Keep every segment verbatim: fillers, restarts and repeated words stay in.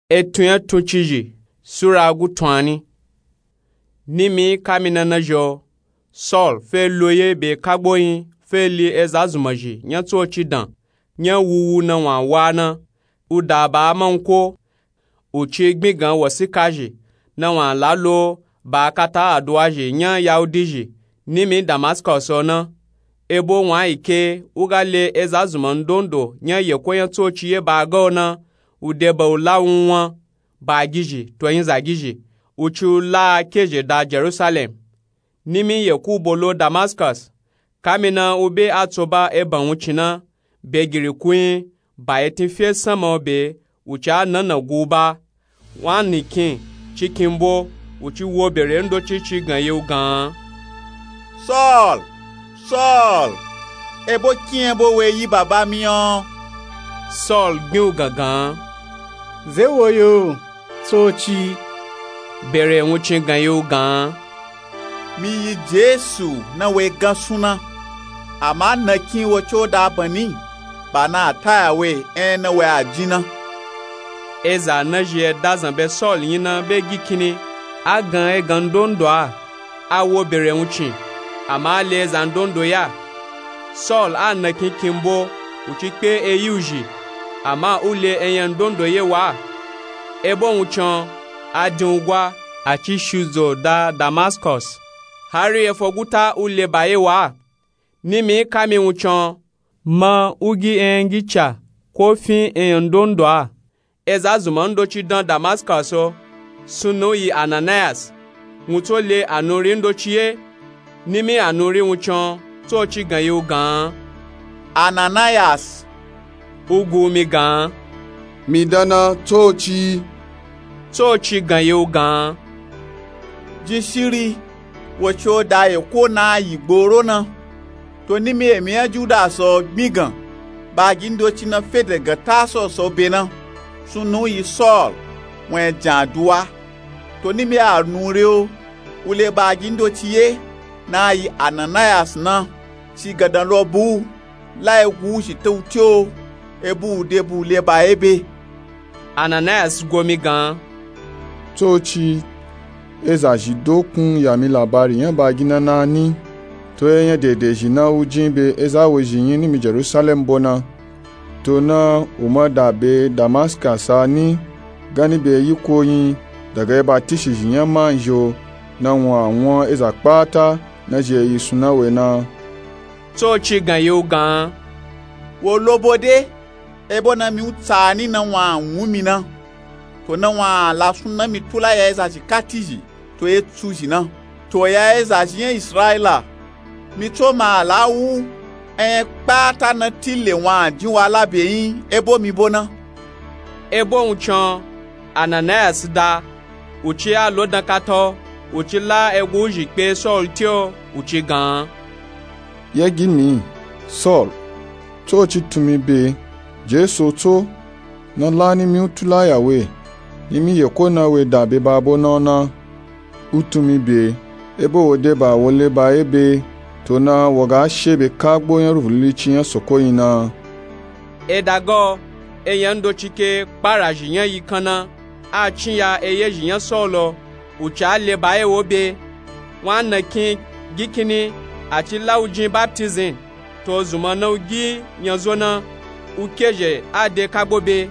Etun nya tuncizhi sura gu tun ani. Nimi kamina na zhi o, saul fe lo ye be kagbo nyi fe li eza zunmazhi nya tsoci dan nya wuwu na wun a wa na. U da ba a manko, u ci gbin gan wasikazhi na wun a la lo ba a kata aduwazhi nya yahudizhi nimi damaskọs o na. Ebo wun a yi ke u ga le eza zunma ndondo nya yeko nya tsoci ye ba a ga o na, u de ba u la wun wun a, bagizhi to nyizagizhi, u ci u la a kezhe da jerusalem. Nimi yeku bo lo damaskọs, kamina u be a tso ba eban wuncin na, begiri ku nyi ba etin fe sanma o be, u ci a nana gu u ba. Wun a nikin cikin bo, u ci wo bere ndoci ci gan ye u gan an, saul, saul, ebo kin ebo we yi baba mi o? Saul gbin u gangan an, ze wo yo, tsoci? Bere wuncin gan ye u gan an, mi yi jesu na we gan sun na. Ama nakin wo ci o da ban ni, ba na a taya we enya na we a jin na. Eza na zhi e dazan be saul nyi na be gi kinni, a gan egan ndondo a, a wo bere wuncin, ama a le eza ndondo ya. Saul a nakin kin bo, u ci kpe eyi u zhi, ama u le enya ndondo ye wa a. Ebo wuncin o, a din u gwa, a ci shudzo da damaskọs, hari efo guta u le ba ye wa a. Nimi kami wuncin o, ma u gi enya ngica ko fin enya ndondo a. Eza zunma ndoci dan damaskọs o, sunna u yi ananayas, wun tso le anuri ndoci ye. Nimi anuri wuncin o, tsoci gan ye u gan an, ananayas. U gu mi gan an, mi dan na, tsoci. Tsoci gan ye u gan an, jin shiri, wo ci o da yeko na a yi gboro na. To nimi emi nya judas o gbin gan, bagi ndoci na fe dagan tasos o be na, sunna u yi saul, wun a jan aduwa. To nimi anuri o, u le bagi ndoci ye na a yi ananayas na, ci gandan lo bu u, la egu u zhi te u te o, ebu u de bu u le ba ye be. Ananayas go mi gan an, tsoci, eza zhi dokun ya mi labari nya bagi na na ni, to enya dedezhi na u jin be eza wezhi nyi nimi jerusalem bo na. To na u ma da be damaskọs a ni, gani be yiko nyi, dagan eba tishizhi nya manzhi o, na wun a wun eza kpata na zhi e yi sun na we na. Tsoci gan ye u gan an, wo lo bo de, ebo na mi u tsa a ni na wun a wun mi na. To na wun a la sunna mi tula ya ezazhi katizhi to etsuzhi na, to ya ezazhi nya israila. Mi tso ma a la wu enya kpata na ti le wun a jin wa la be nyi ebo mi bo na. Ebo wuncin o, ananayas da, u ci a lo dan kata o, u ci la egu u zhi kpe saul te o, u ci gan an, ye gi mi, saul, tsoci tun mi be, jesu o tso, na la nimi u tula ya we, nimi yeko na we da be ba bo na o na. U tun mi be, ebo wo de ba wo le ba ye be, to na wo ga she be kagbo nya ruvulilici nya soko nyi na. Eda ga o, enya ndoci ke kparazhi nya yikan na, a cin ya eyezhi nya saul o, u ci a le ba ye wo be. Wun a nakin gi kinni, a ci la u jin baptizim. To zunma na u gi nyazo na, u kezhe a de kagbo be.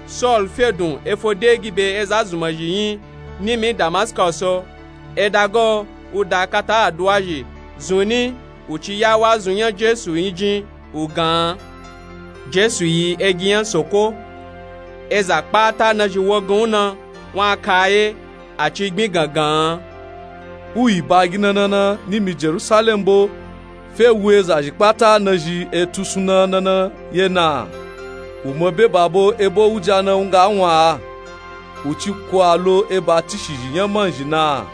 Saul fe dun efo de gi be eza zunmazhi nyi nimi damaskọs o. Eda ga o, u da kata aduwazhi zun ni, u ci ya wazun nya jesu nyi jin, u gan an, jesu yi egi nya soko. Eza kpata na zhi wo gan u na, wun a ka a ye, a ci gbin gan gan an, u yi bagi na na na nimi jerusalem bo, fe wu ezazhi kpata na zhi etu sunna na na ye na? U ma be ba bo ebo wuja na u nga wun a, u ci ku a lo eba tishizhi nya manzhi na?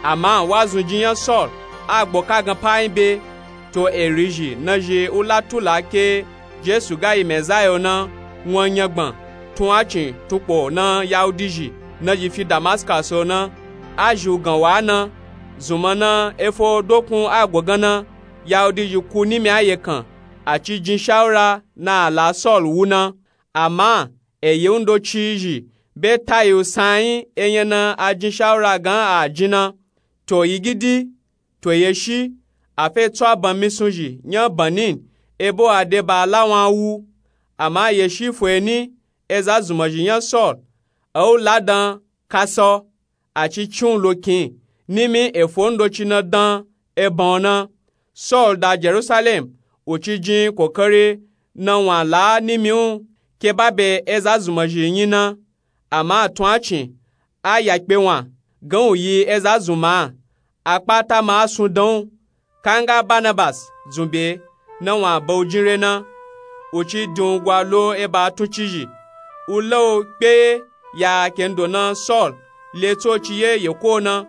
Ama wazun jin nya saul a gbo kagan pa nyi be. To eri zhi na zhi u la tula ke jesu ga yi mezaya o na, wun a nyagban tun acin tun kpo na yahudizhi na zhi fi damaskọs o na, a zhi u gan wa a na. Zunma na efo dokun a gbo gan na, yahudizhi ku nimi a yekan, a ci jin shawura na a la saul wu na. Ama eye u ndoci zhi be tayi u san nyi enya na a jin shawura gan a jin na. To yigidi, to yeshi, a fe tso a ban misun zhi nya banin, ebo a de ba lawan wu. Ama yeshi fo eni, eza zunmazhi nya saul, a u ladan kasa, a ci cin u lo kin, nimi efo ndoci na dan eban o na. Saul da jerusalem, u ci jin kokari na wan la nimi u, ke ba be eza zunmazhi nyi na. Ama tun a cin, a yakpe wan, gan u yi eza zunma a, a kpata ma a sun dan u. Kanga barnabas dzun be, na wan ba u jin re na. U ci din u gwa lo eba tun cizhi, u la u kpe ye ya kendo na saul le tsoci ye yeko na.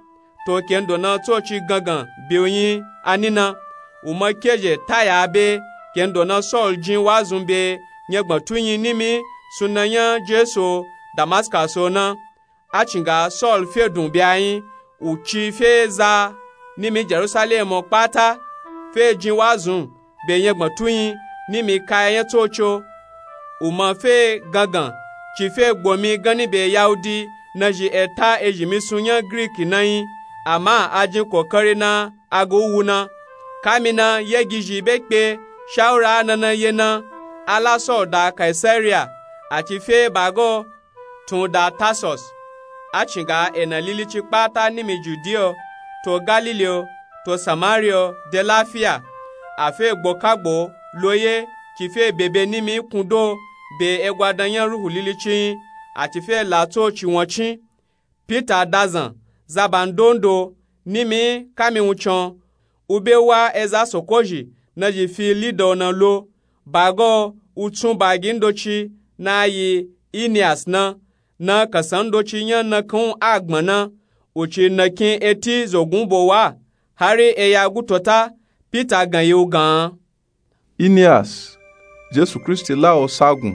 To kendo na tsoci gangan be u nyi ani na. U ma kezhe taya be, kendo na saul jin wazun be nyagbantu nyi nimi sunna nya jesu damaskas o na. A cin ga saul fe dun be a nyi, u ci fe za nimi jerusalem o kpata, fe jin wazun be nyagbantu nyi nimi kaya nya tsoci o. U ma fe gangan ci fe gbomi ganni be yahudi na zhi eta ezhi misun nya griki na nyi. Ama a jin kokari na a ga u wu na. Kami na yegizhi be kpe shawura a na na ye na, a la saul da kaisaria, a ci fe ba ga o tun da tarsus. A cin ga ena lilici kpata nimi judiya o, to galili o, to samaria o de lafiya. A fe gbo kagbo lo ye ci fe bebe nimi kundo be egwadan nya ruhu lilici nyi, a ci fe la tsoci wancin. Pita dazan zaban dondo nimi kami wuncin o, u be wa eza soko zhi na zhi fi lida o na lo. Ba ga o u tsun bagi ndoci na yi inias na, na kasan ndoci nya nakan u a gbọn na. U ci nakin eti zogun bo wa, hari eya gutota pita gan yi u gan. Inias, jesu kristi la o sagun,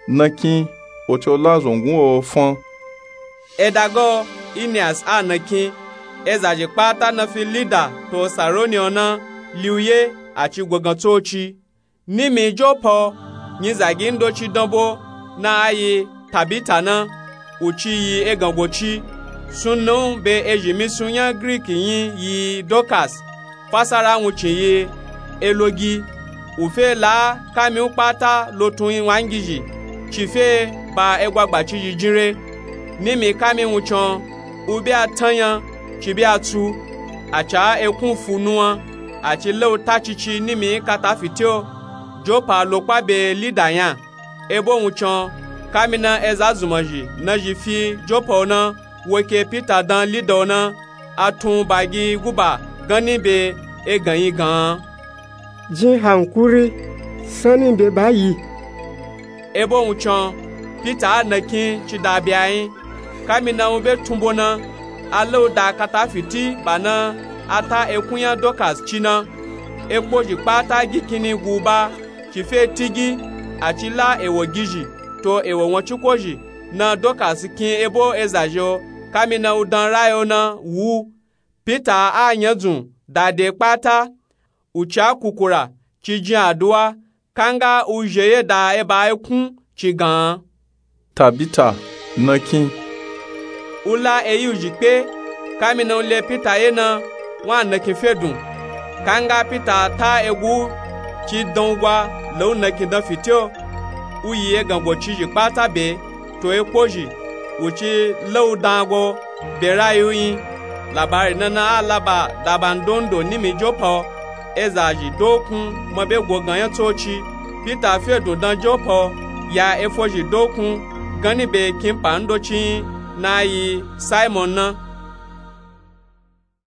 nakin o ci o la zongun o fan. Eda ga o inias a nakin, ezazhi kpata na fi lida to saroni o na li u ye, a ci gwagan tsoci. Nimi jopa o, nyizagi ndoci dan bo na a yi tabita na, u ci yi egan goci. Sunna u be ezhi misun nya griki nyi yi dokas, fasara wuncin yi elogi. U fe la kami u kpata lo tun wangizhi, ci fe ba egwagba cizhi jin re. Nimi kami wuncin o, u be a tan nya, ci be a tsu, a ca ekun fu nuwan, a ci la u ta cici nimi kata fiti o. Jopa lo kpa be lida nya. Ebo wuncin o, kami na eza zunmazhi na zhi fi jopa o na, wo ke pita dan lida o na, a tun bagi guba ganni be egan yi gan. Jin hankuri, sanni be ba yi. Ebo wuncin o, pita a nakin ci da be a nyi. Kami na u be tun bo na, a la u da kata fiti ba na a ta ekun nya dokas ci na. Ekpozhi kpata gi kinni gu u ba, ci fe tigi, a ci la ewo gizhi to ewo wancin kozhi na dokas kin ebo ezazhi o, kami na u dan rayi o na wu. Pita a nyadzun da de kpata, u ca kukura ci jin aduwa, kanga u zhe ye da eba ekun ci gan. Tabita, nakin. U la eyi u zhi kpe, kami na u le pita ye na, wa nakin fe dun. Kanga pita ta egu ci dan u gwa la u nakin dan fiti o. U yi egan goci zhi kpata be to ekpozhi, u ci la u dan go be rayi u nyi. Labari na na a laba daba ndondo nimi jopa o. Ezazhi dokun ma be gogan nya tsoci. Pita fe dun dan jopa o, ya efozhi dokun ganni be kinpa ndoci nyi na yi simon na.